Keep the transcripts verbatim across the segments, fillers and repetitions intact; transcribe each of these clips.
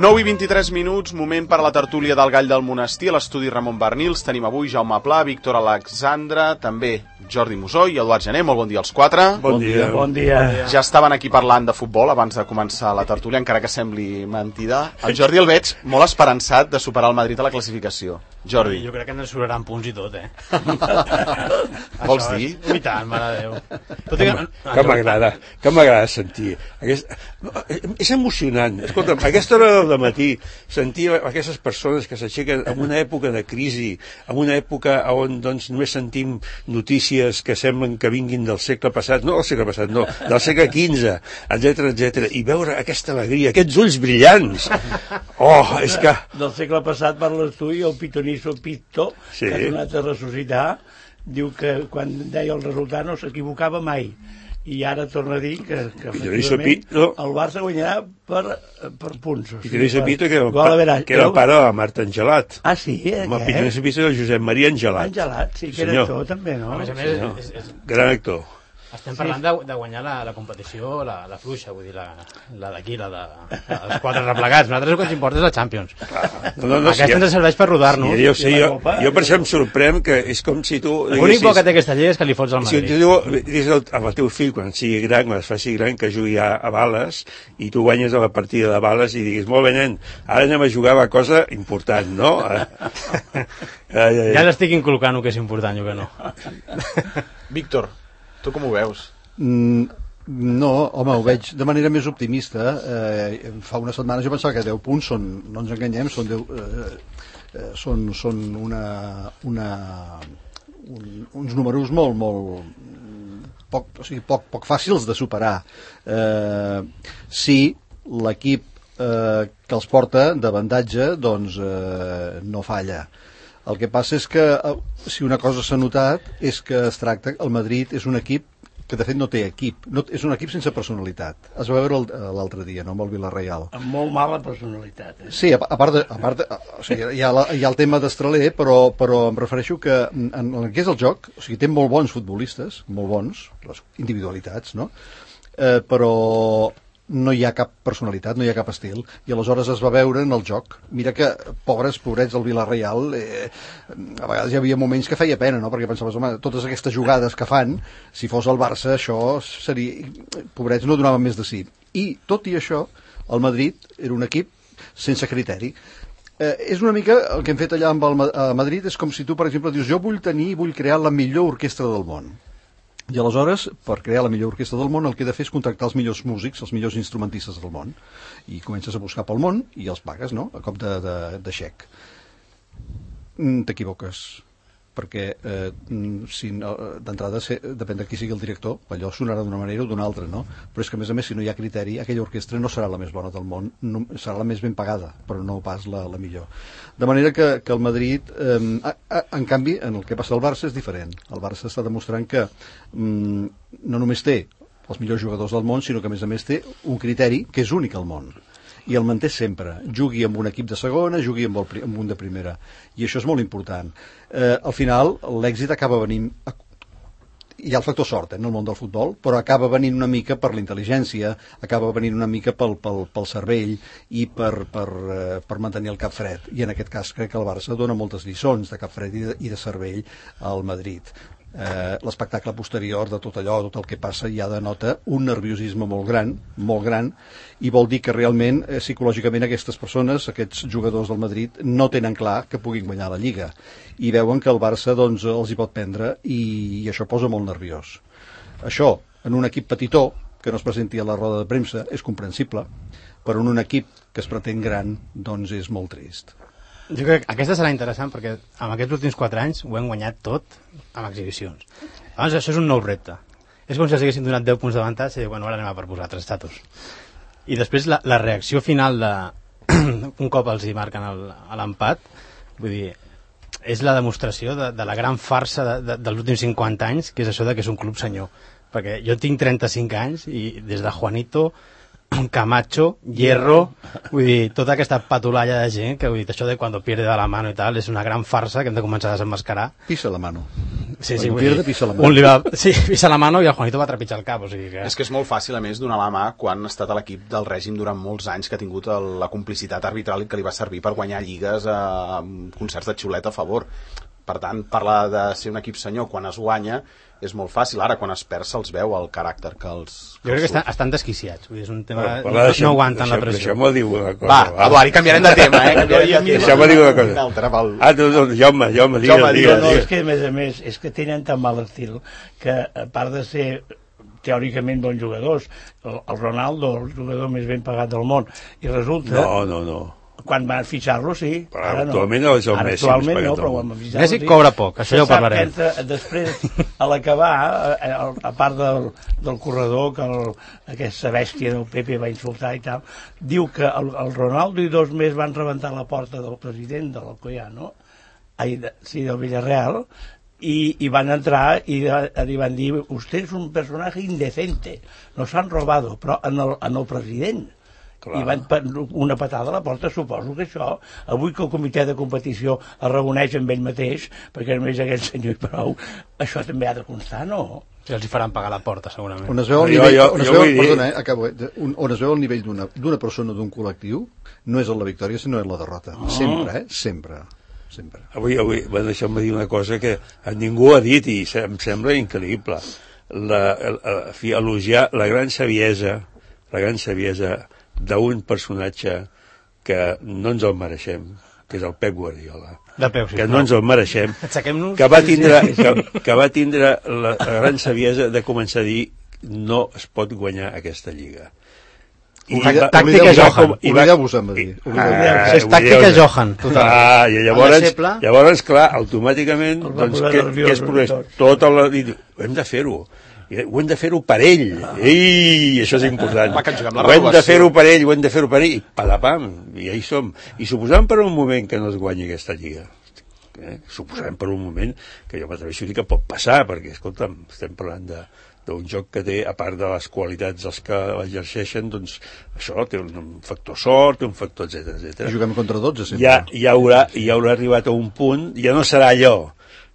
nou i vint-i-tres minuts, moment per a la tertúlia del Gall del Monestir, a l'estudi Ramon Bernils. Tenim avui Jaume Pla, Víctor Alexandre, també Jordi Musó i Eduard Gené. Molt bon dia als quatre. Bon dia. Bon dia. Ja estaven aquí parlant de futbol abans de començar la tertúlia, encara que sembli mentida. El Jordi el veig molt esperançat de superar el Madrid a la classificació. Jordi. Jo crec que ens sobraran punts i tot, eh? Vols dir? I tant, mare de Déu. Tot que que... que m'agrada, que m'agrada sentir. Aquest... És emocionant. Escolta'm, a aquesta hora del matí sentir aquestes persones que s'aixequen en una època de crisi, en una època on doncs, només sentim notícies que semblen que vinguin del segle passat, no del segle passat, no, del segle quinze, etcètera, etcètera, i veure aquesta alegria, aquests ulls brillants. Oh, és que... Del segle passat parles tu i el pitonisso Pitto, sí, que ha tornat a ressuscitar, diu que quan deia el resultat no s'equivocava mai. I ara torna a dir que, que efectivament no. el Barça guanyarà per, per punts. O sigui, Pitonisso Pitto, que era el, pa, que era el pare de la Marta Angelat. Ah, sí? Eh? Home, Pitonisso Pitto era el Josep Maria Angelat. Angelat, sí, que era actor també, no? A més a més, és, és, és... gran actor. Estem parlant de, de guanyar la, la competició, la, la fluixa, vull dir, la, la d'aquí, la de, els quatre replegats. Nosaltres el que ens importa és la Champions. No, no, no, aquesta sí, ens serveix per rodar-nos. Sí, jo, sé, jo, jo per això em sorprèn que és com si tu... L'únic bo que té aquesta llei és que li fots al Madrid. Si tu dius amb el teu fill, quan sigui gran, quan es faci gran, que jugui a, a bales, i tu guanyes a la partida de bales i diguis, molt bé, nen, ara anem a jugar a la cosa important, no? Ja l'estic inculcant el que és important, jo que no. Víctor, tu com ho veus? Mm, no, home, ho veig de manera més optimista. Eh, fa una setmana jo pensava que deu punts són, no ens enganyem, són, deu, eh, eh, són, són una, una, un, uns números molt, molt poc, o sigui, poc, poc fàcils de superar. Eh, si l'equip eh, que els porta d'avantatge doncs eh, no falla. El que passa és que eh, si una cosa s'ha notat és que es tracta, el Madrid és un equip que de fet no té equip, no, és un equip sense personalitat. Es va veure l'altre dia, no, amb el Villarreal. Amb molt mala personalitat. Eh? Sí, a, a part, de, a part de, o sigui, hi ha, la, hi ha el tema d'Estraler, però, però em refereixo que en, en el que és el joc, o sigui, té molt bons futbolistes, molt bons, les individualitats, no? Eh, però no hi ha cap personalitat, no hi ha cap estil, i aleshores es va veure en el joc. Mira que, pobres, pobrets del Villarreal, eh, a vegades hi havia moments que feia pena, no? Perquè pensaves, home, totes aquestes jugades que fan, si fos el Barça, això seria... Pobrets no donaven més de sí. I, tot i això, el Madrid era un equip sense criteri. Eh, és una mica el que hem fet allà amb el a Madrid, és com si tu, per exemple, dius, jo vull tenir, vull crear la millor orquestra del món. I aleshores, per crear la millor orquestra del món, el que he de fer és contractar els millors músics, els millors instrumentistes del món. I comences a buscar pel món i els pagues, no?, a cop de, de, de xec. Mm, t'equivoques, perquè eh, si no, d'entrada se, depèn de qui sigui el director, allò sonarà d'una manera o d'una altra, no? Però és que, a més a més, si no hi ha criteri, aquella orquestra no serà la més bona del món, no, serà la més ben pagada, però no pas la, la millor. De manera que, que el Madrid, eh, a, a, en canvi, en el que passa al Barça és diferent. El Barça està demostrant que mm, no només té els millors jugadors del món, sinó que, a més a més, té un criteri que és únic al món. I el manté sempre, jugui amb un equip de segona, jugui amb, el, amb un de primera, i això és molt important. Eh, al final l'èxit acaba venint, hi ha el factor sort eh, en el món del futbol, però acaba venint una mica per la intel·ligència, acaba venint una mica pel, pel, pel cervell i per, per, eh, per mantenir el cap fred, i en aquest cas crec que el Barça dona moltes lliçons de cap fred i de, i de cervell al Madrid. Eh, l'espectacle posterior de tot allò, tot el que passa, ja denota un nerviosisme molt gran, molt gran, i vol dir que realment, eh, psicològicament, aquestes persones, aquests jugadors del Madrid, no tenen clar que puguin guanyar la Lliga, i veuen que el Barça doncs, els hi pot prendre, i, i això posa molt nerviós. Això, en un equip petitó, que no es presenti a la roda de premsa, és comprensible, però en un equip que es pretén gran, doncs és molt trist. Jo crec que aquesta serà interessant perquè en aquests últims quatre anys ho hem guanyat tot amb exhibicions. Llavors això és un nou repte. És com si els haguessin donat deu punts d'avantatge i bueno, ara anem a per posar tres estatus. I després la, la reacció final de un cop els hi marquen l'empat, vull dir, és la demostració de, de la gran farsa de, de, dels últims cinquanta anys, que és això de que és un club senyor. Perquè jo tinc trenta-cinc anys i des de Juanito Camacho, Hierro, vull dir, tota aquesta patolalla de gent que, vull dir, això de quan pierde de la mano i tal, és una gran farsa que hem de començar a desenmascarar. Pisa la mano. Sí, sí, Quan vull pierde, dir, pisa la mano. un li va, sí, pisa la mano i el Juanito va trepitjar el cap, o sigui que... És que és molt fàcil, a més, donar la mà quan ha estat a l'equip del règim durant molts anys, que ha tingut el, la complicitat arbitral que li va servir per guanyar lligues eh, amb concerts de xiulet a favor. Per tant, parlar de ser un equip senyor quan es guanya és molt fàcil. Ara, quan es perd, se'ls veu el caràcter que els... Jo crec que estan, estan desquiciats, vull dir, és un tema... Bueno, no, deixem, no aguanten deixem, la pressió. Deixem-me dir una cosa. Va, Eduard, canviarem de tema, eh? Canviarem de tema. Deixeu-me dir una cosa. Altre, pel... Ah, no, no, Jaume, Jaume, digues, Jaume, digues, No, digues. és que, a més a més, és que tenen tan mal estil que, a part de ser teòricament bons jugadors, el, el Ronaldo, el jugador més ben pagat del món, i resulta... No, no, no. Quan van fitxar-lo, sí. Però Ara no. actualment és el Ara Messi actualment més pagat no, del però món. quan van fitxar-lo, Messi sí. cobra poc, això ja ho Se sap parlarem. que entra, després, a l'acabar, a, a part del, del corredor, que el, aquesta bèstia del Pepe va insultar i tal, diu que el, el Ronaldo i dos més van rebentar la porta del president de l'Alcoyano, ai, de, sí, del Villarreal, i, i van entrar i li van dir, usted es un personaje indecente, nos han robado, però en el, en el president. Clar. I van una patada a la porta. Suposo que això, avui que el comitè de competició es reuneix amb ell mateix, perquè només aquest senyor i prou, això també ha de constar, no? Si els hi faran pagar la porta, segurament. On es veu el Jo- nivell, jo- on es jo veu, vull dir- perdona, eh, acabo, eh, un- on es veu el nivell d'una d'una persona, d'un col·lectiu, no és la victòria, sinó és la derrota. Sempre, eh? Sempre. Sempre. Avui, avui, bueno, deixeu-me dir una cosa que ningú ha dit i se- em sembla increïble. La, la, la, fi, elogiar la gran saviesa, la gran saviesa d'un personatge que no ens el mereixem, que és el Pep Guardiola. De peu, sí, que no ens el mereixem, Aixequem-nos. que va tindre, que, que va tindre la, la gran saviesa de començar a dir no es pot guanyar aquesta lliga. Oblida- tàctica oblideu-vos- Johan. Oblideu-vos, em va dir. Ah, Això és tàctica oblideu-vos. Johan, total. Ah, i El llavors, deixeble. llavors, clar, automàticament, El va doncs, posar què, nerviós, què es produeix? tot. Tota la... i diu, hem de fer-ho. I ho hem de fer-ho per ell. Ei, això és important. Va, que ens juguem la Ho hem de renovació. fer-ho per ell, ho hem de fer-ho per ell. I padapam, i ja hi som. I suposant per un moment que no es guanyi aquesta lliga, eh? suposant per un moment que jo m'atreveixo a dir que pot passar, perquè, escolta'm, estem parlant de d'un joc que té, a part de les qualitats dels que l'exerceixen, doncs això té un factor sort, té un factor, etcètera, etcètera. I juguem contra dotze, sempre. Ja, ja, haurà, ja haurà arribat a un punt, ja no serà allò,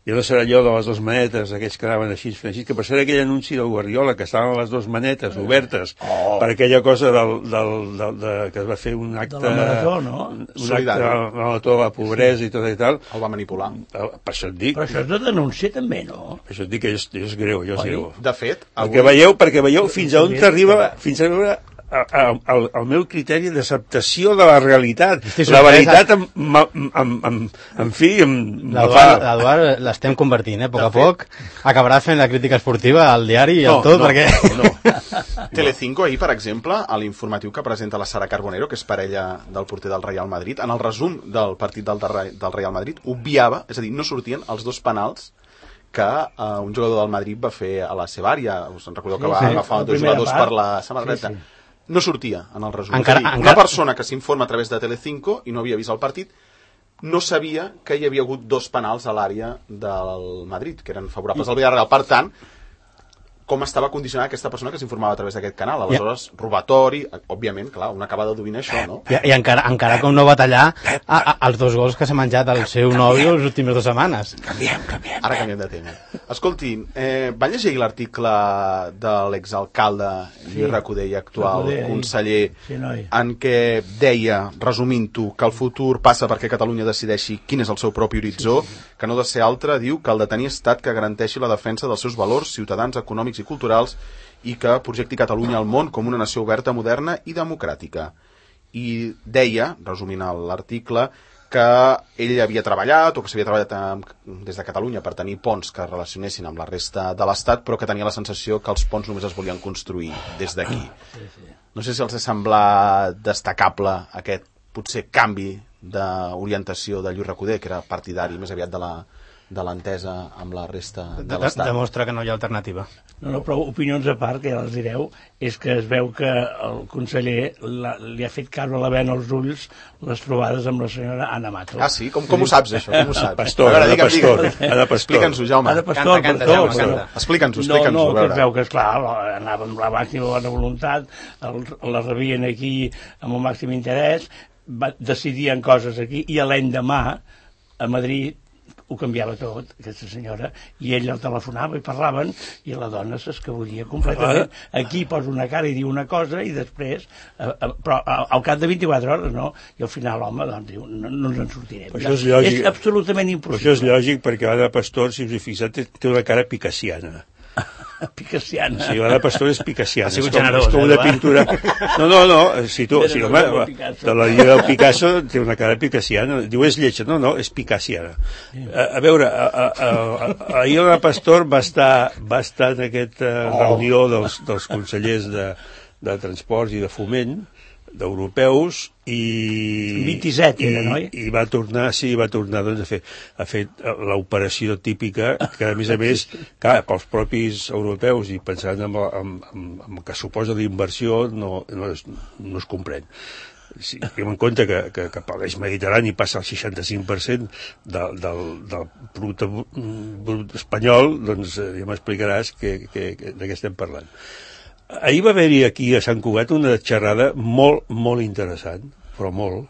ja no serà allò de les dues manetes, aquells que anaven així, així, que per ser aquell anunci del Guardiola, que estaven les dues manetes obertes, oh. per aquella cosa del, del, del, de, que es va fer un acte... De la marató, no? Un acte Solidari. de la marató de la pobresa i tot i tal. El va manipular. Per això et dic, Però això és de denúncia també, no? per això et dic que és, és greu, allò és Oi? greu. De fet, Perquè veieu, perquè veieu fins a on t'arriba, fins a veure el, el meu criteri d'acceptació de la realitat. Estic La sorprès. veritat, em, em, em, em, en fi, em, me fa... L'Eduard l'Eduard l'estem convertint, eh? A poc a poc acabarà fent la crítica esportiva al diari i No, al tot, no, perquè... no. Telecinco ahir, per exemple, a l'informatiu que presenta la Sara Carbonero, que és parella del porter del Real Madrid, en el resum del partit del, del Real Madrid, obviava, és a dir, no sortien els dos penals que uh, un jugador del Madrid va fer a la seva àrea. Us en recordeu que Sí, va sí, agafar la dos primera jugadors part. per la samarreta. Sí, sí. No sortia en el resum. Encara- és a dir, encara- una persona que s'informa a través de Telecinco i no havia vist el partit no sabia que hi havia hagut dos penals a l'àrea del Madrid, que eren favorables al Villarreal. Per tant, com estava condicionada aquesta persona que s'informava a través d'aquest canal. Aleshores, yeah. robatori, òbviament, clar, un acaba d'adovinar això, no? I, i encara, encara com no va tallar a, a, els dos gols que s'ha menjat el seu nòvio les últimes dues setmanes. Canviem, canviem. Ara canviem de tema. Escolti, eh, van llegir l'article de l'exalcalde Lluís Sí. Recoder i actual Recoder, ahir. conseller Sí, noi. en què deia, resumint-ho, que el futur passa perquè Catalunya decideixi quin és el seu propi horitzó, sí, sí. que no ha de ser altre, diu que el de tenir estat que garanteixi la defensa dels seus valors ciutadans, econòmics i culturals i que projecti Catalunya al món com una nació oberta, moderna i democràtica. I deia, resumint l'article, que ell havia treballat o que s'havia treballat amb, des de Catalunya per tenir ponts que es relacionessin amb la resta de l'Estat, però que tenia la sensació que els ponts només es volien construir des d'aquí. No sé si els ha semblat destacable aquest potser canvi d'orientació de Lluís Recoder, que era partidari més aviat de la de l'entesa amb la resta de, De, l'Estat. demostra que no hi ha alternativa. No, no, però opinions a part, que ja les direu, és que es veu que el conseller la, li ha fet caure la vena als ulls les trobades amb la senyora Ana Mato. Ah, sí? Com, com ho saps, això? Com ho saps? Pastor, a veure, Ana digue'm, Pastor, digue'm. Ana Pastor. Explica'ns-ho, Jaume. Ana Pastor, Canta, canta, perdó, Jaume, perdó. canta. Explica'ns-ho, No, explica'ns-ho, no, a que es veure. veu que, esclar, anava amb la màxima bona voluntat, el, la rebien aquí amb el màxim interès, va, decidien coses aquí, i a l'endemà, a Madrid, ho canviava tot, aquesta senyora, i ell el telefonava i parlaven, i la dona s'escabullia completament. Aquí posa una cara i diu una cosa, i després, eh, eh, però al cap de vint-i-quatre hores, no? I al final l'home, doncs, diu, no, no ens en sortirem. Però això és lògic. És absolutament Però impossible. això és lògic perquè l'Anna Pastor, si us hi fixat, té, té una cara picassiana. Picassiana. Sí, l'Anna Pastor és picassiana. Ha sigut és com, generós, és com eh, una va? pintura... No, no, no, si tu... Era Si, del home, Pablo va, Picasso. de la lliga del Picasso té una cara picassiana. Diu, és lletja. No, no, és picassiana. A, a veure, a, a, a, ahir l'Anna Pastor va estar, va estar en aquesta Oh. reunió dels, dels consellers de, de Transports i de Foment, d'europeus, i... vint-i-set i, era, no? i va tornar, sí, va tornar doncs, a fer, a fer l'operació típica, que a més a més, clar, pels propis europeus i pensant en, en, en, en el que suposa d'inversió no, no, es, no es comprèn. Si tenim en compte que, que, que per l'eix mediterrani passa el seixanta-cinc per cent del, del, del producte brut espanyol, doncs eh, ja m'explicaràs que, que, que, de què estem parlant. Ahir va haver-hi aquí a Sant Cugat una xerrada molt, molt interessant, però molt,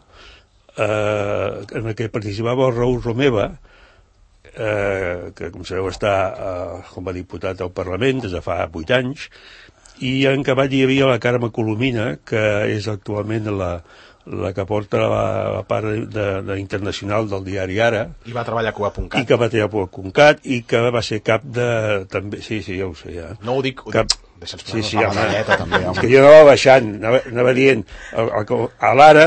eh, en què participava el Raül Romeva, eh, que com sabeu està eh, com a diputat al Parlament des de fa vuit anys, i en acabat hi havia la Carme Colomina, que és actualment la, la que porta la, la part de, de internacional del diari Ara, I va treballar a i Cuba.cat. que va treballar a Concat, i que va ser cap de... també Sí, sí, ja ho sé, ja. No ho dic, ho Cap... dic. Deixa'ns Sí, sí, posar home. la medalleta, també, És home. que jo anava baixant, anava, anava dient, el, el, a l'Ara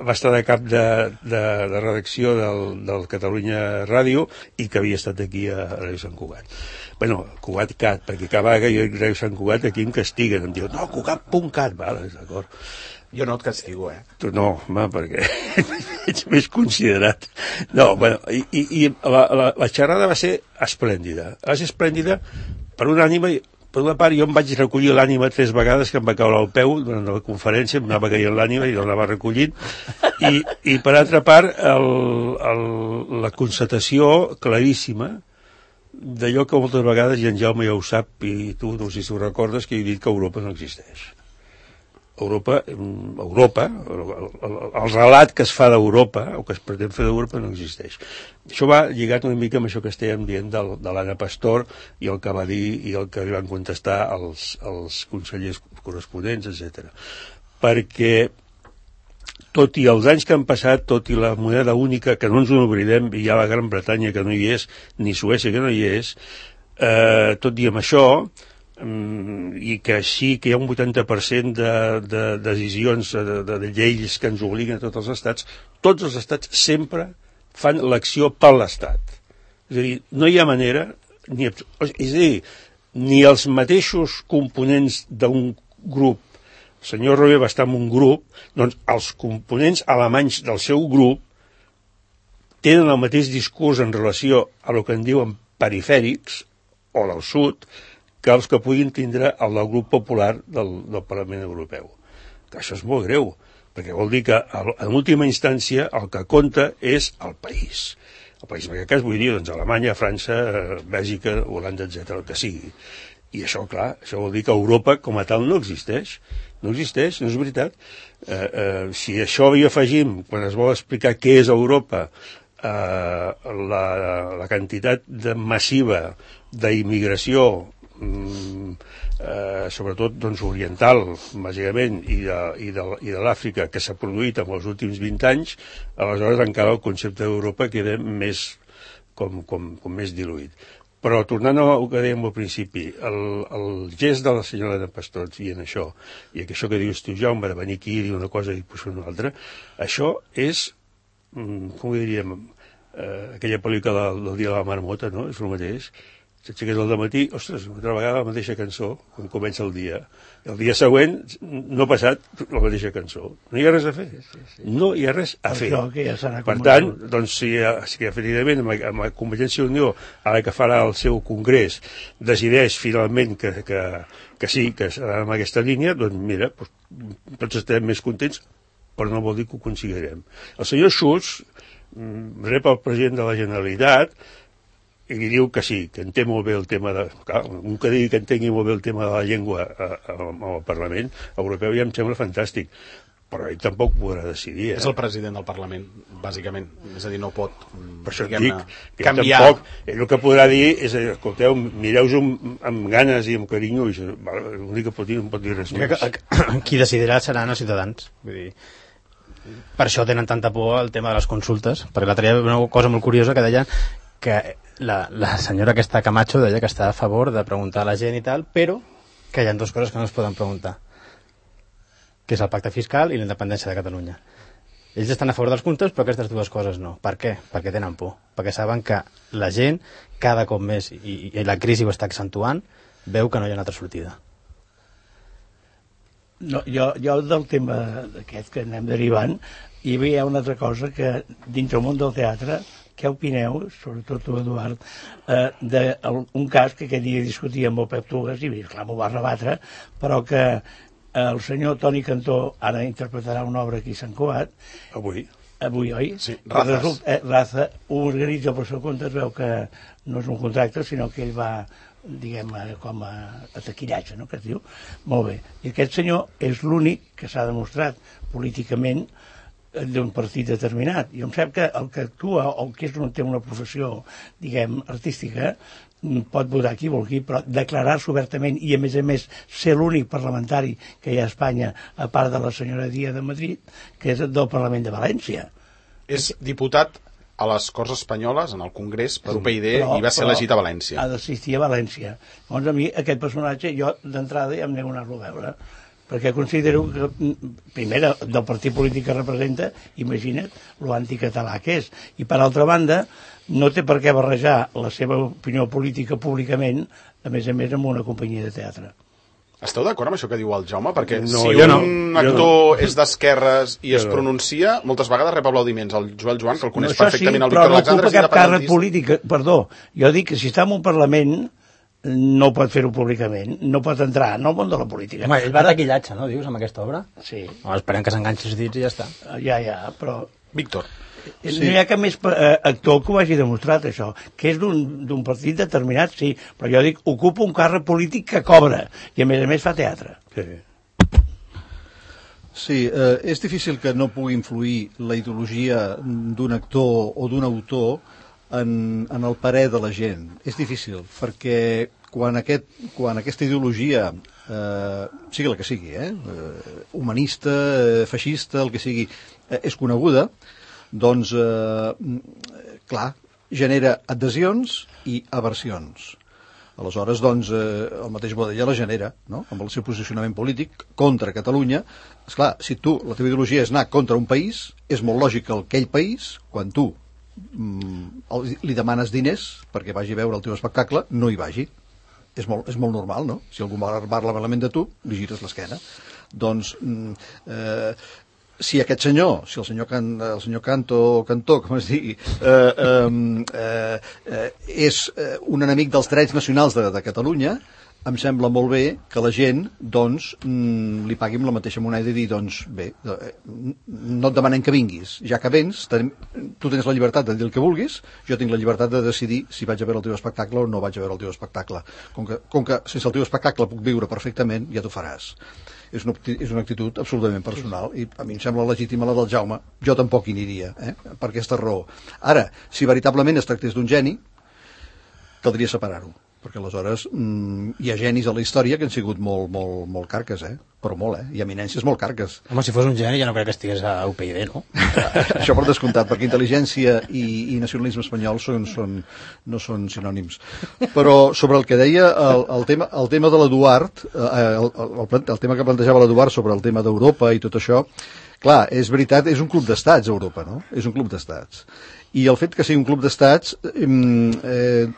va estar de cap de, de, de redacció del, del Catalunya Ràdio i que havia estat aquí a Ràdio Sant Cugat. Bueno, Cugat.cat, perquè cada vegada jo dic Ràdio Sant Cugat aquí em castiguen, em diuen, no, Cugat.cat, vale, d'acord. Jo no et castigo, eh? Tu no, home, perquè ets més considerat. No, bueno, i, i, i la, la, la xerrada va ser esplèndida. Va ser esplèndida per una ànima... Per una part, jo em vaig recollir l'ànima tres vegades, que em va caure al peu durant la conferència, em anava caient l'ànima i l'anava recollint. I, i per altra part, el, el, la constatació claríssima d'allò que moltes vegades, i en Jaume ja ho sap, i tu no sé si ho recordes, que he dit que Europa no existeix. Europa, Europa el, el, el relat que es fa d'Europa, o que es pretén fer d'Europa, no existeix. Això va lligat una mica amb això que estèiem dient del, de l'Anna Pastor i el que va dir i el que li van contestar els, els consellers corresponents, etcètera. Perquè tot i els anys que han passat, tot i la moneda única, que no ens ho oblidem, i hi ha la Gran Bretanya que no hi és, ni Suècia que no hi és, eh, tot i amb això, i que sí que hi ha un vuitanta per cent de, de decisions, de, de, de lleis que ens obliguen a tots els estats, tots els estats sempre fan l'acció per l'estat. És a dir, no hi ha manera, ni, és a dir, ni els mateixos components d'un grup, el senyor Robe va estar en un grup, doncs els components alemanys del seu grup tenen el mateix discurs en relació a el que en diuen perifèrics, o del sud, que els que puguin tindre el del grup popular del, del Parlament Europeu. Que això és molt greu, perquè vol dir que en última instància el que compta és el país. El país, en aquest cas, vull dir, doncs, Alemanya, França, Bèlgica, Holanda, etcètera, el que sigui. I això, clar, això vol dir que Europa com a tal no existeix. No existeix, no és veritat. Eh, eh, si això hi afegim, quan es vol explicar què és Europa, eh, la, la quantitat de massiva d'immigració, Eh, sobretot doncs, oriental, bàsicament, i de, i de, i de l'Àfrica, que s'ha produït en els últims vint anys, aleshores encara el concepte d'Europa queda més, com, com, com més diluït. Però tornant al que dèiem al principi, el, el gest de la senyora de Pastor dient això, i que això que dius tu, Jaume, de venir aquí i dir una cosa i posar una altra, això és, com ho diríem, eh, aquella pel·lícula del, del dia de la marmota, no? És el mateix. s'aixeques al matí, ostres, una vegada la mateixa cançó, quan comença el dia. El dia següent, no ha passat la mateixa cançó. No hi ha res a fer. Sí, sí, sí. No hi ha res a fer. Ja per tant, doncs, si, si efectivament amb, amb la Convergència i Unió, ara que farà el seu congrés, decideix finalment que, que, que sí, que serà en aquesta línia, doncs mira, doncs, tots estarem més contents, però no vol dir que ho aconseguirem. El senyor Schulz rep el president de la Generalitat i li diu que sí, que entén molt bé el tema de... Clar, un que digui que entengui molt bé el tema de la llengua al Parlament Europeu ja em sembla fantàstic, però ell tampoc podrà decidir. Eh? És el president del Parlament, bàsicament. És a dir, no pot, per això dic, que canviar. Tampoc, ell el que podrà dir és, escolteu, mireu-ho amb, amb ganes i amb carinyo, i l'únic que pot dir no pot dir res més. Qui decidirà seran els ciutadans. Vull dir, per això tenen tanta por al tema de les consultes, perquè l'altre dia una cosa molt curiosa que deia que la, la senyora aquesta Camacho deia que està a favor de preguntar a la gent i tal, però que hi ha dues coses que no es poden preguntar, que és el pacte fiscal i la independència de Catalunya. Ells estan a favor dels comptes, però aquestes dues coses no. Per què? Perquè tenen por. Perquè saben que la gent, cada cop més, i, i la crisi ho està accentuant, veu que no hi ha una altra sortida. No, jo, jo del tema aquest que anem derivant, hi havia una altra cosa que dintre el món del teatre, què opineu, sobretot tu, Eduard, eh, d'un cas que aquell dia discutia amb el Pep Tugas, i clar, m'ho va rebatre, però que el senyor Toni Cantó ara interpretarà una obra aquí a Sant Cugat. Avui. Avui, oi? Sí, Razas. Result, eh, Raza ho organitza per seu compte, es veu que no és un contracte, sinó que ell va, diguem, com a, a taquillatge, no?, que es diu. Molt bé. I aquest senyor és l'únic que s'ha demostrat políticament d'un partit determinat. I em sap que el que actua o el que és un, té una professió, diguem, artística, pot votar qui vulgui, però declarar-se obertament i, a més a més, ser l'únic parlamentari que hi ha a Espanya, a part de la senyora Díaz de Madrid, que és del Parlament de València. És diputat a les Corts Espanyoles, en el Congrés, per U P y D, però, i va ser però elegit a València. Ha d'assistir a València. Llavors, a mi, aquest personatge, jo, d'entrada, ja em nego a anar-lo a veure, perquè considero que, primera, del partit polític que representa, imagina't l'anticatalà que és. I, per altra banda, no té per què barrejar la seva opinió política públicament, a més a més, amb una companyia de teatre. Esteu d'acord amb això que diu el Jaume? Perquè no, si un no. actor no. és d'esquerres i es pronuncia, moltes vegades rep aplaudiments. El Joel Joan, que el coneix no, perfectament, sí, el Víctor Alexandre, però no ocupa cap càrrec polític. Perdó, jo dic que si està en un Parlament no pot fer-ho públicament, no pot entrar en el món de la política. Home, ell va taquillatge, no, dius, amb aquesta obra? Sí. Home, esperem que s'enganxi els dits i ja està. Ja, ja, però... Víctor. Sí. No hi ha cap més eh, actor que ho hagi demostrat, això. Que és d'un partit determinat, sí, però jo dic, ocupa un càrrec polític que cobra, i a més a més fa teatre. Sí. Sí, eh, és difícil que no pugui influir la ideologia d'un actor o d'un autor en, en el parer de la gent. És difícil, perquè quan, aquest, quan aquesta ideologia, eh, sigui la que sigui, eh, humanista, eh, feixista, el que sigui, eh, és coneguda, doncs, eh, clar, genera adhesions i aversions. Aleshores, doncs, eh, el mateix Boadella la genera, no?, amb el seu posicionament polític contra Catalunya. Esclar, si tu, la teva ideologia és anar contra un país, és molt lògic que aquell país, quan tu mm, li demanes diners perquè vagi a veure el teu espectacle, no hi vagi. És molt, és molt normal, no? Si algú parla malament de tu, li gires l'esquena. Doncs, mm, eh, si aquest senyor, si el senyor, Can, el senyor Canto, Cantó, com es digui, eh, eh, eh, és un enemic dels drets nacionals de, de Catalunya, em sembla molt bé que la gent, doncs, mm, li pagui amb la mateixa moneda i dir, doncs, bé, no et demanem que vinguis, ja que vens, tenim, tu tens la llibertat de dir el que vulguis, jo tinc la llibertat de decidir si vaig a veure el teu espectacle o no vaig a veure el teu espectacle. Com que, com que sense el teu espectacle puc viure perfectament, ja t'ho faràs. És una, és una actitud absolutament personal i a mi em sembla legítima la del Jaume. Jo tampoc hi aniria, eh? Per aquesta raó. Ara, si veritablement es tractés d'un geni, caldria separar-ho, perquè aleshores mm, hi ha genis a la història que han sigut molt, molt, molt carques, eh? Però molt, eh? I eminències molt carques. Home, si fos un geni ja no crec que estigués a U P y D, no? Això per descomptat, perquè intel·ligència i, i nacionalisme espanyol són, són, no són sinònims. Però sobre el que deia el, el, tema, el tema de l'Eduard, eh, el, el, el tema que plantejava l'Eduard sobre el tema d'Europa i tot això, clar, és veritat, és un club d'estats, Europa, no? És un club d'estats. I el fet que sigui un club d'estats eh,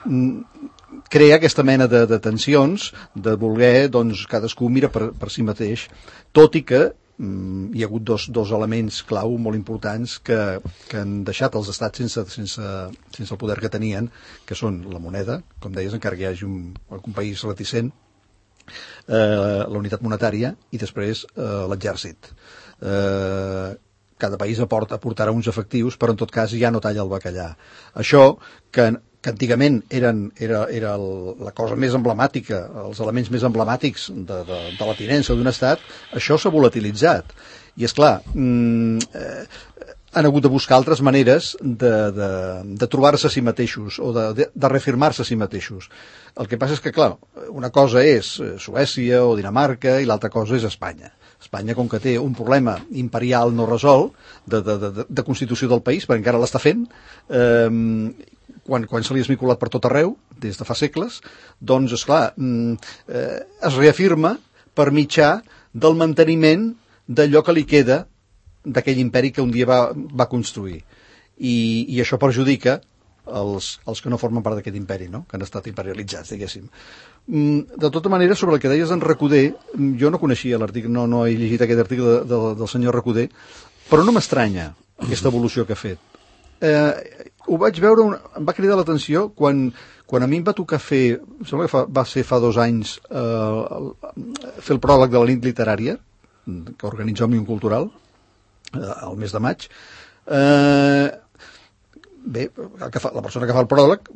crea aquesta mena de, de tensions, de voler, doncs, cadascú mira per, per si mateix, tot i que mm, hi ha hagut dos, dos elements clau molt importants que, que han deixat els estats sense, sense, sense el poder que tenien, que són la moneda, com deies, encara que hi hagi un, un país reticent, eh, la unitat monetària i després eh, l'exèrcit. Eh, cada país aporta, aportarà uns efectius, però en tot cas ja no talla el bacallà. Això, que, que antigament eren, era, era el, la cosa més emblemàtica, els elements més emblemàtics de, de, de la tinença d'un estat, això s'ha volatilitzat. I, esclar, mm, eh, han hagut de buscar altres maneres de, de, de trobar-se a si mateixos o de, de, de reafirmar-se a si mateixos. El que passa és que, clar, una cosa és Suècia o Dinamarca i l'altra cosa és Espanya. Espanya, com que té un problema imperial no resolt de, de, de, de constitució del país, perquè encara l'està fent, eh, quan, quan se li ha esmiculat per tot arreu, des de fa segles, doncs, esclar, eh, es reafirma per mitjà del manteniment d'allò que li queda d'aquell imperi que un dia va, va construir. I, i això perjudica els, els que no formen part d'aquest imperi, no? Que han estat imperialitzats, diguéssim. De tota manera, sobre el que deies d'en Recoder, jo no coneixia l'article, no, no he llegit aquest article de, de, del senyor Recoder, però no m'estranya aquesta evolució que ha fet. Eh, ho vaig veure, un, em va cridar l'atenció quan, quan a mi em va tocar fer, em sembla que fa, va ser fa dos anys, eh, fer el pròleg de la nit literària, que organitza Òmnium Cultural, eh, al mes de maig. Eh, bé, el que fa, la persona que fa el pròleg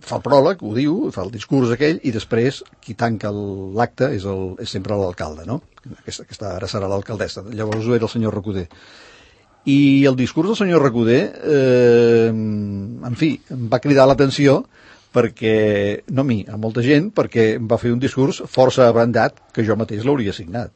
fa el pròleg, ho diu, fa el discurs aquell, i després qui tanca l'acte és, el, és sempre l'alcalde, no? Aquesta, aquesta ara serà l'alcaldessa. Llavors ho era el senyor Recoder. I el discurs del senyor Recoder, eh, en fi, em va cridar l'atenció perquè, no a mi, a molta gent, perquè em va fer un discurs força abrandat que jo mateix l'hauria signat.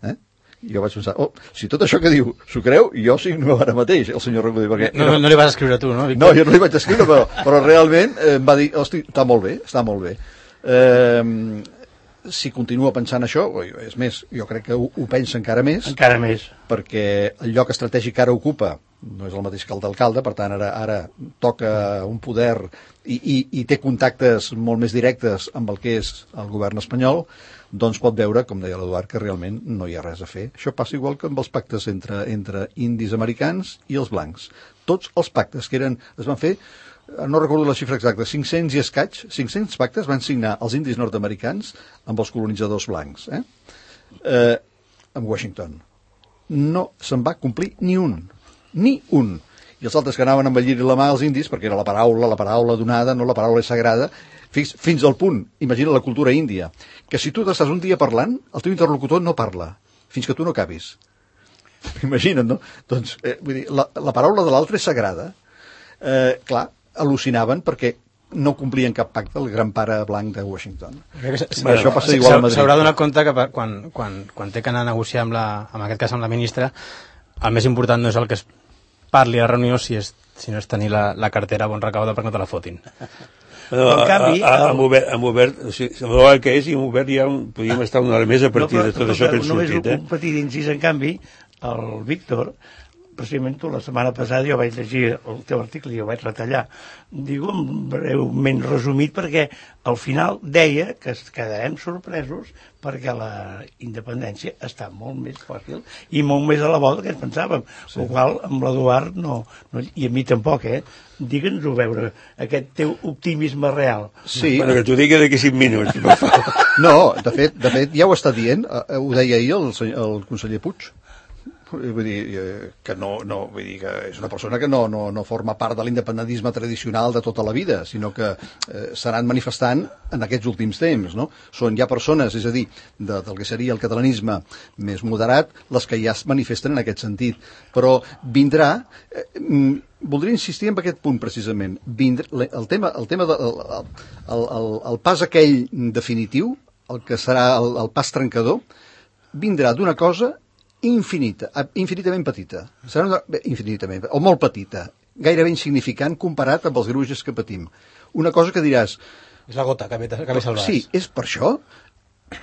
Eh? I jo vaig pensar, oh, si tot això que diu s'ho creu, jo signo ara mateix, el senyor Recoder. Perquè, no, no, no li vas escriure tu, no, Víctor? No, jo no li vaig escriure, però, però realment eh, em va dir, hosti, està molt bé, està molt bé. Eh, si continua pensant això, és més, jo crec que ho, ho pensa encara més. Encara més. Perquè el lloc estratègic que ara ocupa no és el mateix que el d'alcalde, per tant, ara, ara toca un poder i, i, i té contactes molt més directes amb el que és el govern espanyol, doncs pot veure, com deia l'Eduard, que realment no hi ha res a fer. Això passa igual que amb els pactes entre, entre indis americans i els blancs. Tots els pactes que eren, es van fer, no recordo la xifra exacta, cinc-cents i escaig, cinc-cents pactes van signar els indis nord-americans amb els colonitzadors blancs, eh? Eh, amb Washington. No se'n va complir ni un, ni un. I els altres que anaven amb el lliri a la mà als indis, perquè era la paraula, la paraula donada, no la paraula sagrada, fins, fins al punt, imagina la cultura índia, que si tu estàs un dia parlant, el teu interlocutor no parla, fins que tu no acabis. Imagina't, no? Doncs, eh, vull dir, la, la paraula de l'altre és sagrada. Eh, clar, al·lucinaven perquè no complien cap pacte el gran pare blanc de Washington. Bueno, això passa igual a Madrid. S'haurà donat compte que quan, quan, quan té que anar a negociar amb la, en aquest cas amb la ministra, el més important no és el que es parli a la reunió, si, és, si no és tenir la, la cartera bon recauda perquè no te la fotin. No, en canvi, a, a, a, amb Obert, amb Obert, o sigui, el que és, i amb Obert ja podríem estar una hora més a partir no, però, de tot això que hem sortit. Només un petit incís, en canvi, el Víctor, precisament tu, la setmana passada jo vaig llegir el teu article i ho vaig retallar, digo breument resumit, perquè al final deia que quedarem sorpresos perquè la independència està molt més fàcil i molt més a la volta que ens pensàvem, sí. El qual amb l'Eduard no, no, i a mi tampoc, eh? Digue'ns-ho veure, aquest teu optimisme real. Sí. Bueno, que t'ho digui d'aquí cinc minuts. No, de fet, de fet ja ho està dient, ho deia ahir el, el conseller Puig. Vull dir, que no, no, vull dir que és una persona que no, no, no forma part de l'independentisme tradicional de tota la vida, sinó que eh, s'han manifestant en aquests últims temps, no? Són ja persones, és a dir, de, del que seria el catalanisme més moderat, les que ja es manifesten en aquest sentit. Però vindrà, eh, voldria insistir en aquest punt precisament, vindrà, el tema, el, tema de, el, el, el, el pas aquell definitiu, el que serà el, el pas trencador, vindrà d'una cosa infinita, infinitament petita, serà una, infinitament, o molt petita, gairebé insignificant comparat amb els greuges que patim. Una cosa que diràs... És la gota que més al vas. Sí, és per això.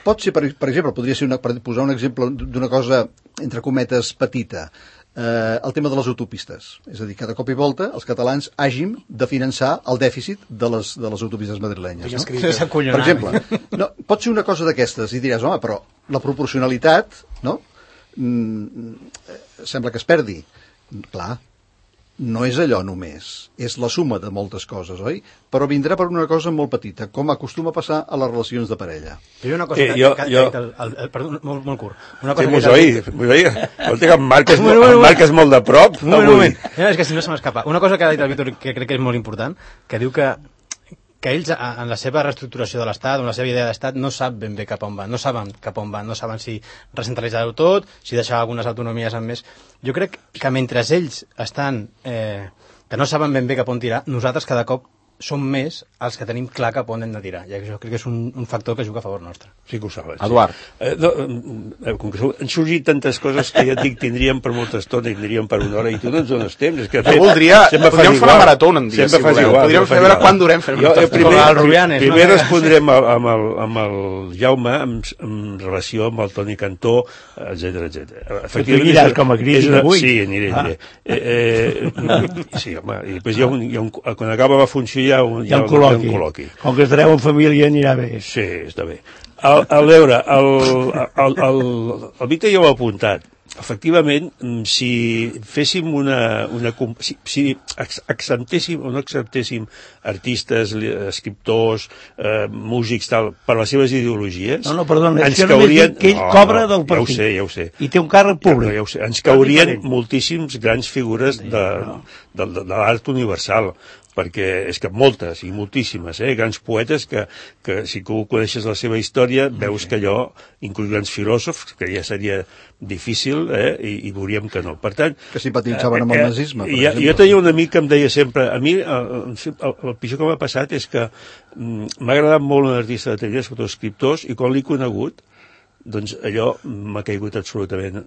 Pot ser, per, per exemple, podria ser una, per posar un exemple d'una cosa, entre cometes, petita. eh, el tema de les autopistes. És a dir, que de cop i volta els catalans hàgim de finançar el dèficit de les, de les autopistes madrilenyes. No? Per exemple, no, pot ser una cosa d'aquestes i diràs, home, però la proporcionalitat, no? Mm, sembla que es perdi. Clar, no és allò només, és la suma de moltes coses, oi? Però vindrà per una cosa molt petita, com acostuma a passar a les relacions de parella. Hi ha una cosa Eh, que, jo- que, jo- que, el, el, el, perdó, molt, molt curt. Una Sí, cosa m'ho que oït, m'ho oït. Escolta, que em marques, Un moment, un em moment. marques molt de prop. Un moment, un avui. moment. No, és que si no se m'escapa. Una cosa que ha dit el Víctor que crec que és molt important, que diu que que ells, a- en la seva reestructuració de l'Estat, en la seva idea d'Estat, no sap ben bé cap on van, no saben cap on van, no saben si recentralitzar-ho tot, si deixar algunes autonomies amb més. Jo crec que mentre ells estan, eh, que no saben ben bé cap on tirar, nosaltres cada cop som més els que tenim clar cap on hem de tirar. I això crec que és un, un factor que juga a favor nostre. Sí que ho saben. Eduard. Sí. Eh, no, eh, com que han sorgit tantes coses que ja et dic tindríem per molta estona i tindríem per una hora i tu no ens dones temps. És que, Jo voldria... sempre fas Podríem fer una igual. marató un dia, Sempre si fas voleu. igual, Podríem sempre fer fas veure igual. quan durem fent Jo, una eh, estona. primer, Com el Rubianes, no? primer respondrem amb, amb, el, amb el Jaume en, en relació amb el Toni Cantó, etcètera etcètera. tu aniràs com a crític és una- avui. Sí, aniré, Ah. aniré. Eh, eh, sí, home, i després hi ha un, hi ha un, quan acaba la funció hi ha un, Hi ha un col·loqui. col·loqui. Com que estareu en família anirà bé. Sí, està bé. A, a veure, el, el, el, el Víctor ja ho ha apuntat. Efectivament, si féssim una... una com- si, si acceptéssim o no acceptéssim artistes, li- escriptors, eh, músics, tal, per les seves ideologies... No, no, perdona, és ens que només caurien... dic que ell No, cobra no, del partit. Ja ho sé, ja ho sé. I té un càrrec públic. Ja, ja ho sé. Ens caurien diferent. moltíssims grans figures de, de, de, de l'art universal, perquè és que moltes i moltíssimes, eh, grans poetes que, que si tu coneixes la seva història veus que allò, inclús grans filòsofs, que ja seria difícil, eh, i, i veuríem que no. Per tant... Que simpatitzaven amb el nazisme, per jo, exemple. jo tenia un amic que em deia sempre, a mi el, el, el pitjor que m'ha passat és que mm, m'ha agradat molt un artista de tele, sobretot escriptors, i quan l'he conegut, doncs allò m'ha caigut absolutament,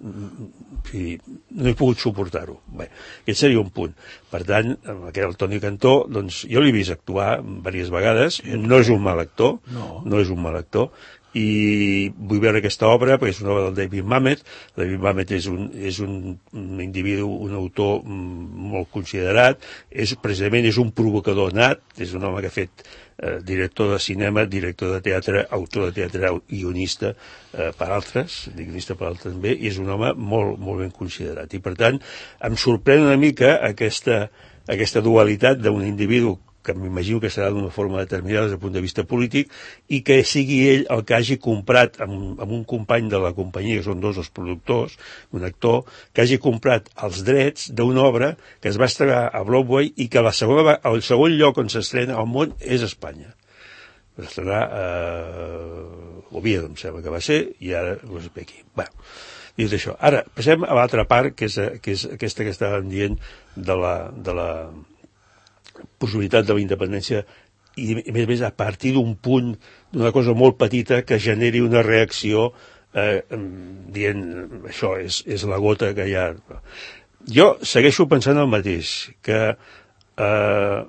i no he pogut suportar-ho. Bé, aquest seria un punt. Per tant, amb aquest el Toni Cantó, doncs jo l'he vist actuar diverses vegades, no és un mal actor, No. no és un mal actor, i vull veure aquesta obra perquè és una obra del David Mamet. David Mamet és un, és un, un individu, un autor mm, molt considerat, és, precisament és un provocador nat, és un home que ha fet eh, director de cinema, director de teatre, autor de teatre, guionista eh, per altres, guionista per altres també, i és un home molt, molt ben considerat. I per tant, em sorprèn una mica aquesta, aquesta dualitat d'un individu que m'imagino que serà d'una forma determinada des del punt de vista polític, i que sigui ell el que hagi comprat amb, amb un company de la companyia, que són dos els productors, un actor, que hagi comprat els drets d'una obra que es va estrenar a Broadway i que la segona, el segon lloc on s'estrena al món és Espanya. Va estrenar a eh, Oviedo, em sembla que va ser, i ara no sé aquí. Bueno, dit això. Ara, passem a l'altra part, que és, que és aquesta que estàvem dient de la... De la possibilitat de la independència i, a més a més, a partir d'un punt, d'una cosa molt petita que generi una reacció eh, dient, això és, és la gota que hi ha. Jo segueixo pensant el mateix, que eh,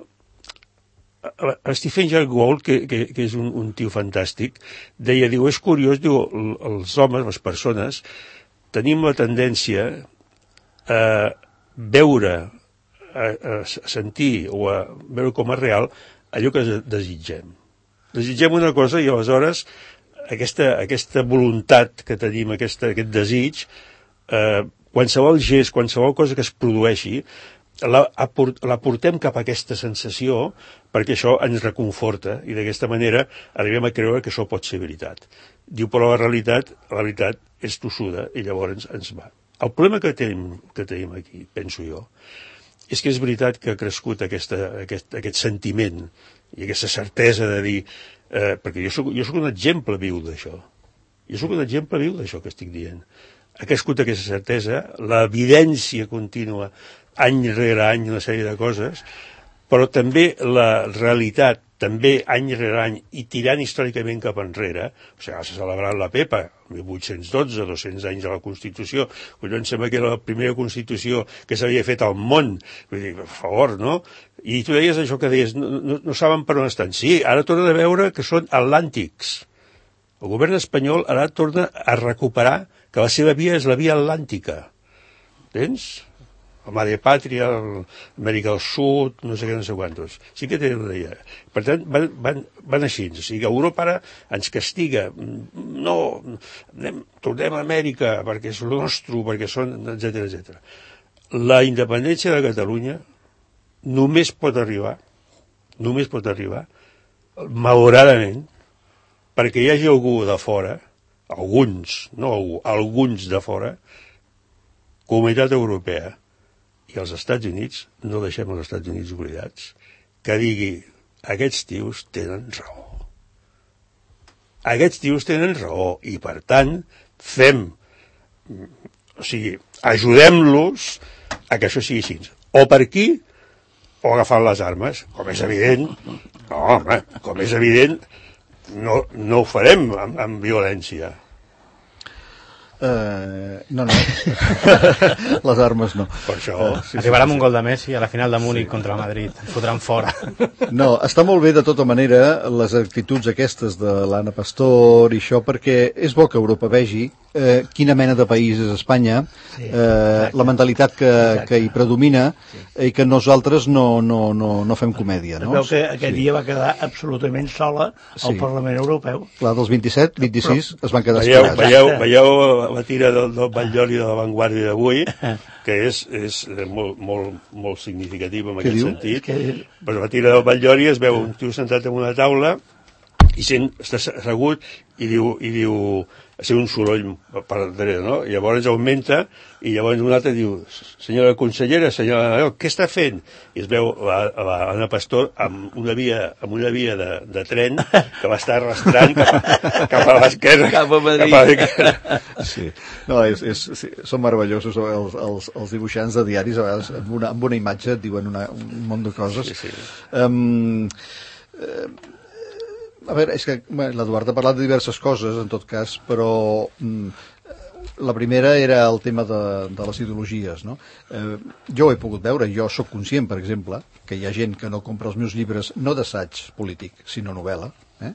Stephen Jay Gould, que, que, que és un, un tio fantàstic, deia, diu, és curiós, diu, els homes, les persones, tenim la tendència a veure, a, a sentir o a veure com a real allò que desitgem. Desitgem una cosa i aleshores aquesta, aquesta voluntat que tenim, aquesta, aquest desig, eh, qualsevol gest, qualsevol cosa que es produeixi, la, la portem cap a aquesta sensació perquè això ens reconforta i d'aquesta manera arribem a creure que això pot ser veritat. Diu, però la realitat, la veritat és tossuda i llavors ens va. El problema que tenim, que tenim aquí, penso jo, és que és veritat que ha crescut aquesta, aquest, aquest sentiment i aquesta certesa de dir... Eh, perquè jo soc, jo soc un exemple viu d'això. Jo soc un exemple viu d'això que estic dient. Ha crescut aquesta certesa, l'evidència contínua, any rere any, una sèrie de coses, però també la realitat, també any rere any, i tirant històricament cap enrere, o sigui, s'ha celebrat la Pepa, mil vuit-cents dotze, dos-cents anys de la Constitució, collons, sembla que era la primera Constitució que s'havia fet al món, vull dir, per favor, no? I tu deies això que deies, no, no, no saben per on estan. Sí, ara tornen a veure que són atlàntics. El govern espanyol ara torna a recuperar que la seva via és la via atlàntica. Entens? el Mare Pàtria, Amèrica del Sud, no sé què, no sé quantos. Sí que tenen una idea. Per tant, van, van, van així. O sigui, Europa ara ens castiga. No, anem, tornem a Amèrica perquè és el nostre, perquè són, etcètera, etcètera. La independència de Catalunya només pot arribar, només pot arribar, malauradament, perquè hi hagi algú de fora, alguns, no algú, alguns de fora, Comunitat Europea i els Estats Units, no deixem els Estats Units oblidats, que digui, aquests tios tenen raó. Aquests tios tenen raó i, per tant, fem, o sigui, ajudem-los a que això sigui així. O per aquí, o agafant les armes, com és evident, no, home, com és evident, no, no ho farem amb, amb violència. Uh, no, no. Les armes no. Per això... Uh, sí, Arribarà amb sí, sí. un gol de Messi a la final de Múnich sí. contra el Madrid. Ens fotran fora. No, està molt bé de tota manera les actituds aquestes de l'Anna Pastor i això, perquè és bo que Europa vegi eh, quina mena de país és Espanya, sí, eh, la mentalitat que, que hi predomina sí. i que nosaltres no, no, no, no fem comèdia. No? Es veu que aquest sí. dia va quedar absolutament sola al sí. Parlament Europeu. Clar, dels vint-i-set, vint-i-sis Però, es van quedar veieu, escalats. Veieu, veieu la tira del, del Batllori de la Vanguardia d'avui, que és, és molt, molt, molt significativa en Què aquest diu? sentit. Que... Pues la tira del Batllori es veu un tio sentat en una taula i sent, està assegut i diu, i diu ser un soroll per darrere, no? I llavors augmenta i llavors un altre diu, senyora consellera, senyora Nadal, què està fent? I es veu l'Anna Pastor amb una via, amb una via de, de tren que va estar arrastrant cap a, cap a l'esquerra. Cap a Madrid. Cap a l'esquerra. Sí. No, és, és, sí, són meravellosos els, els, els dibuixants de diaris, a vegades amb una, amb una imatge et diuen una, un munt de coses. Sí, sí. Um, uh, A veure, és que bueno, l'Eduard ha parlat de diverses coses, en tot cas, però mm, la primera era el tema de, de les ideologies, no? Eh, jo ho he pogut veure, jo sóc conscient, per exemple, que hi ha gent que no compra els meus llibres no d'assaig polític, sinó novel·la, eh?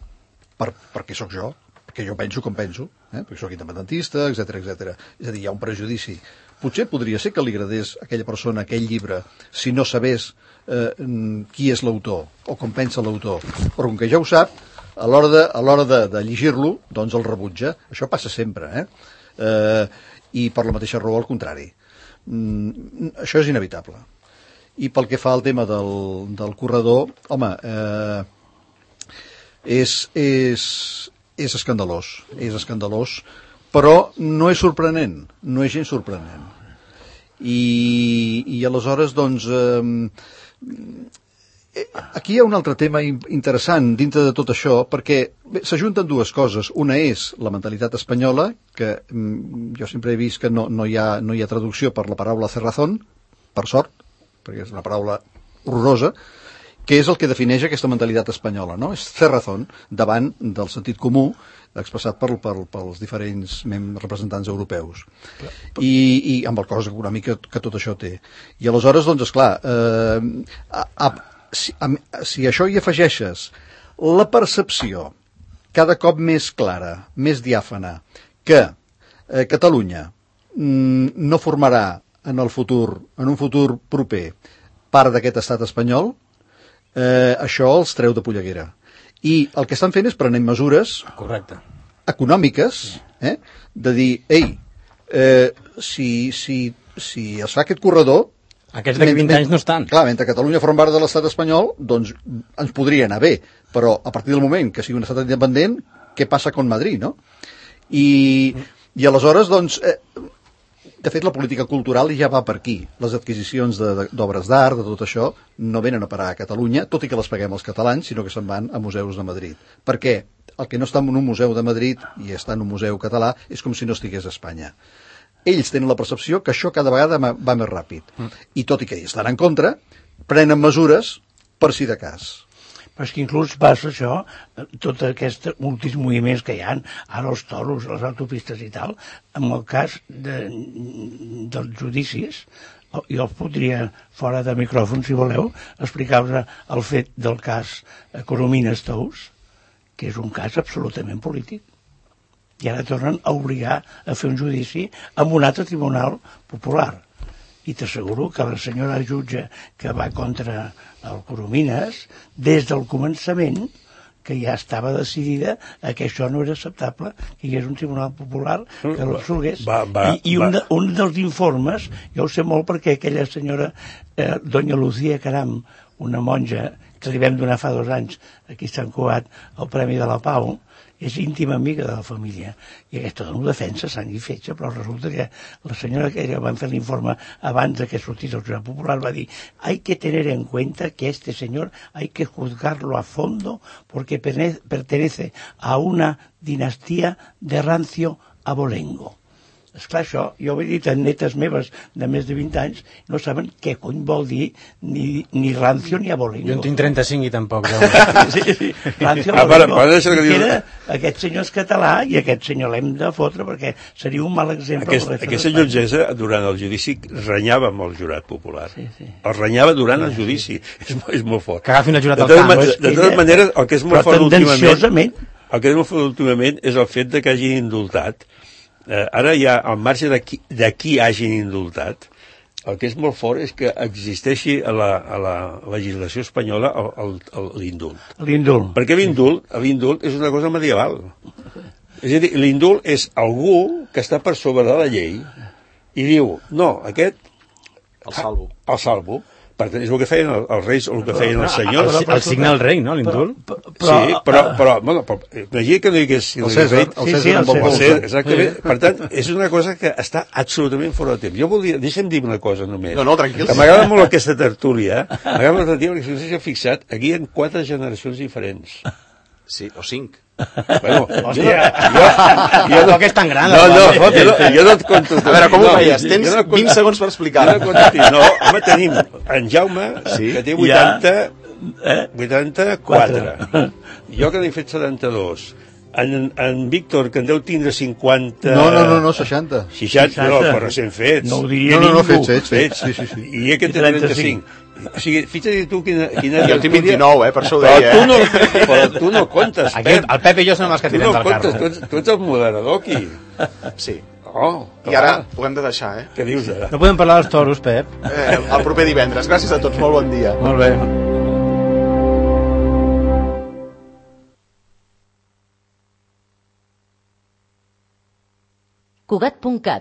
per, perquè sóc jo, perquè jo penso com penso, eh? perquè sóc independentista, etcètera, etcètera. És a dir, hi ha un prejudici. Potser podria ser que li agradés a aquella persona aquell llibre si no sabés eh, qui és l'autor o com pensa l'autor, però com que ja ho sap, a l'hora de, a l'hora de, de llegir-lo, doncs el rebutja. Això passa sempre, eh? eh I per la mateixa raó, al contrari. Mm, això és inevitable. I pel que fa al tema del, del corredor, home, eh, és, és, és escandalós, és escandalós, però no és sorprenent, no és gens sorprenent. I, i aleshores, doncs... Eh, Aquí hi ha un altre tema interessant dintre de tot això, perquè s'ajunten dues coses. Una és la mentalitat espanyola, que mm, jo sempre he vist que no, no, hi ha, no hi ha traducció per la paraula cerrazón, per sort, perquè és una paraula horrorosa, que és el que defineix aquesta mentalitat espanyola, no? És cerrazón, davant del sentit comú expressat per, per, pels diferents representants europeus. I, i amb el cost econòmic que, que tot això té. I aleshores, doncs, esclar, eh, a, a, Si, a, si això hi afegeixes la percepció cada cop més clara, més diàfana, que eh, Catalunya mm, no formarà en el futur, en un futur proper, part d'aquest estat espanyol, eh, això els treu de polleguera. I el que estan fent és prenent mesures Correcte. econòmiques, eh, de dir, ei, eh, si, si, si es fa aquest corredor, aquests d'aquí vint anys no estan. Clar, mentre Catalunya forma part de l'estat espanyol, doncs ens podria anar bé, però a partir del moment que sigui un estat independent, què passa con Madrid, no? I, i aleshores, doncs, eh, de fet, la política cultural ja va per aquí. Les adquisicions d'obres d'art, de tot això, no venen a parar a Catalunya, tot i que les paguem els catalans, sinó que se'n van a museus de Madrid. Per què? El que no està en un museu de Madrid i està en un museu català és com si no estigués a Espanya. Ells tenen la percepció que això cada vegada va més ràpid. Mm. I tot i que ells estan en contra, prenen mesures per si de cas. Però és que inclús passa això, tots aquests últims moviments que hi ha, ara els toros, les autopistes i tal, en el cas de, dels judicis, jo els podria, fora de micròfon, si voleu, explicar-vos el fet del cas Coromines Tous, que és un cas absolutament polític. I ara tornen a obligar a fer un judici amb un altre tribunal popular. I t'asseguro que la senyora jutge que va contra el Coromines, des del començament, que ja estava decidida a que això no era acceptable, que hi hagués un tribunal popular que l'absolgués. I, i un, de, un dels informes, jo ho sé molt perquè aquella senyora, eh, doña Lucía Caram, una monja que li vam donar fa dos anys aquí a Sant Cugat el Premi de la Pau, és íntima amiga de la família, i aquesta dona ho defensa sang i fetge, però resulta que la senyora que van fer l'informe abans de que sortís el jurat popular va dir: hay que tener en cuenta que este señor hay que juzgarlo a fondo porque pertenece a una dinastía de rancio abolengo. Esclar, això, jo ho he dit a netes meves de més de vint anys, no saben què cony vol dir ni, ni rancio ni abolengo. Jo en tinc trenta-cinc i tampoc. Sí, sí, rancio abolengo. Ah, que era, aquest senyor és català i aquest senyor l'hem de fotre perquè seria un mal exemple. Aquest, aquesta llotgessa, durant el judici, renyava amb el jurat popular. Sí, sí. El renyava durant el judici. És, és molt fort. Que agafin el jurat al camp. De, de totes maneres, el que és molt fort últimament, el que és molt fort últimament és el fet de que hagin indultat. Eh, ara ja, al marge de qui, de qui hagin indultat, el que és molt fort és que existeixi a la, a la legislació espanyola l'indult. L'indult. Perquè l'indult, l'indult és una cosa medieval. És a dir, l'indult és algú que està per sobre de la llei i diu, no, aquest... El salvo. El salvo. Per tant, és el que feien els reis o el que feien els senyors. El, el signe del rei, no? L'indult? Sí, però, però, bueno, però imagina que no hi hagués... El César, el César amb el César, exactament. Per tant, és una cosa que està absolutament fora de temps. Jo volia... Deixa'm dir una cosa només. No, no, tranquil. M'agrada molt aquesta tertúlia. M'agrada molt la tertúlia perquè si no s'ha fixat, aquí hi ha quatre generacions diferents. Sí, o cinc. Bueno, hòstia, jo, jo, jo no que és tan gran. No, no, no, jo, no, jo no et conto. A veure, com ho feies? Tens no vint segons per explicar. No, no, home, tenim en Jaume, sí? que té vuitanta, eh? vuitanta-quatre. Jo que n'he fet setanta-dos. En, en Víctor, que en deu tindre cinquanta... No, no, no, no seixanta. seixanta, no, però recent fets. No ho diria no, no, no, ningú. fets, fets. Sí, sí, sí. I aquest té trenta-cinc. O sigui, fixa't tu quina... quina jo tinc vint-i-nou, eh, per això ho deia. Però tu no, però tu no comptes, Pep. Aquest, el Pep i jo som els que tirem no del carro. Tu, ets, tu ets el moderador aquí. Sí. Oh, I ara ho hem de deixar, eh? Què dius ara? No podem parlar dels toros, Pep. eh el proper divendres. Gràcies a tots, molt bon dia. Molt bé. Cugat punt cat,